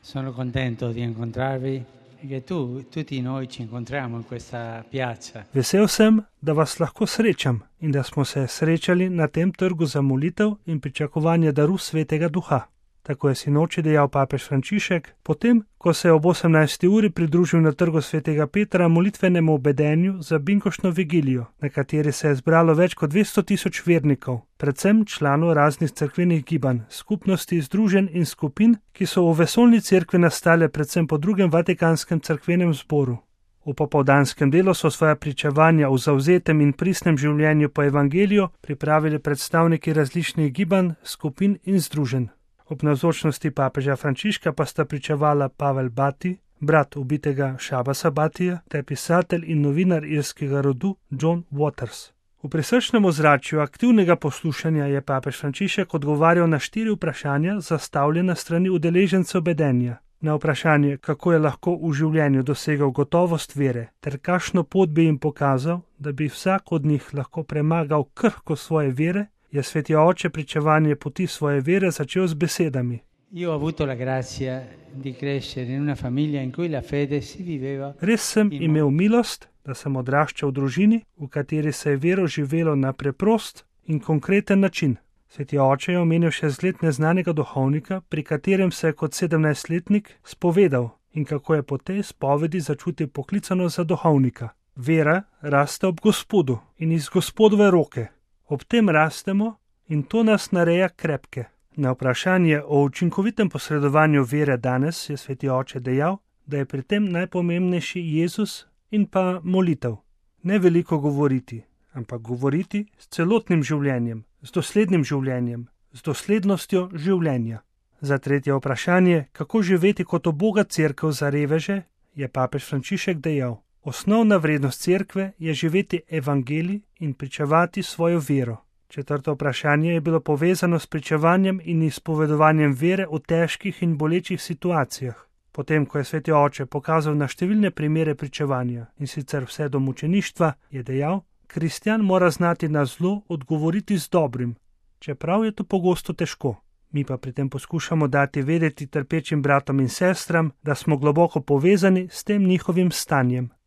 Sono contento di incontrarvi e che tutti noi ci incontriamo in questa piazza. Vesel sem, da vas lahko srečam in da smo se srečali na tem trgu za molitev in pričakovanje daru Svetega Duha. Tako je sinoči dejal papež Frančišek, potem, ko se je ob 18. uri pridružil na trgu Svetega Petra molitvenemu obedenju za binkoštno vigilijo, na kateri se je zbralo več kot 200.000 vernikov, predvsem članov raznih cerkvenih gibanj, skupnosti, združenj in skupin, ki so v vesoljni cerkvi nastale predvsem po drugem Vatikanskem cerkvenem zboru. V popoldanskem delu so svoja pričevanja o zavzetem in pristnem življenju po evangeliju pripravili predstavniki različnih gibanj, skupin in združenj. Ob navzočnosti papeža Frančiška pa sta pričevala Pavel Bati, brat ubitega Shabasa Batija, ter pisatelj in novinar irskega rodu John Waters. V prisrčnem ozračju aktivnega poslušanja je papež Frančišek odgovarjal na 4 vprašanja, zastavljena strani udeležencev bedenja. Na vprašanje, kako je lahko v življenju dosegal gotovost vere, ter kakšno pot bi jim pokazal, da bi vsak od njih lahko premagal krhkost svoje vere, je sveti oče pričevanje poti svoje vere začel z besedami. Io ho avuto la grazia di crescere in una famiglia in cui la fede si viveva. Res sem imel milost, da sem odraščal v družini, v kateri se je vero živelo na preprost in konkreten način. Sveti oče je omenil še zgled neznanega duhovnika, pri katerem se je kot 17-letnik spovedal in kako je po tej spovedi začutil poklicano za duhovnika. Vera raste ob Gospodu in iz Gospodove roke. Ob tem rastemo in to nas nareja krepke. Na vprašanje o učinkovitem posredovanju vere danes je sveti oče dejal, da je pri tem najpomembnejši Jezus in pa molitev. Ne veliko govoriti, ampak govoriti s celotnim življenjem, z doslednim življenjem, z doslednostjo življenja. Za tretje vprašanje, kako živeti kot uboga cerkev za reveže, je papež Frančišek dejal: osnovna vrednost cerkve je živeti evangelij in pričevati svojo vero. Četrto vprašanje je bilo povezano s pričevanjem in izpovedovanjem vere v težkih in bolečih situacijah. Potem, ko je sveti oče pokazal na številne primere pričevanja, in sicer vse do mučeništva, je dejal: kristjan mora znati na zlo odgovoriti z dobrim, čeprav je to pogosto težko. Mi pa pri tem poskušamo dati vedeti trpečim bratom in sestram, da smo globoko povezani s tem njihovim stanjem.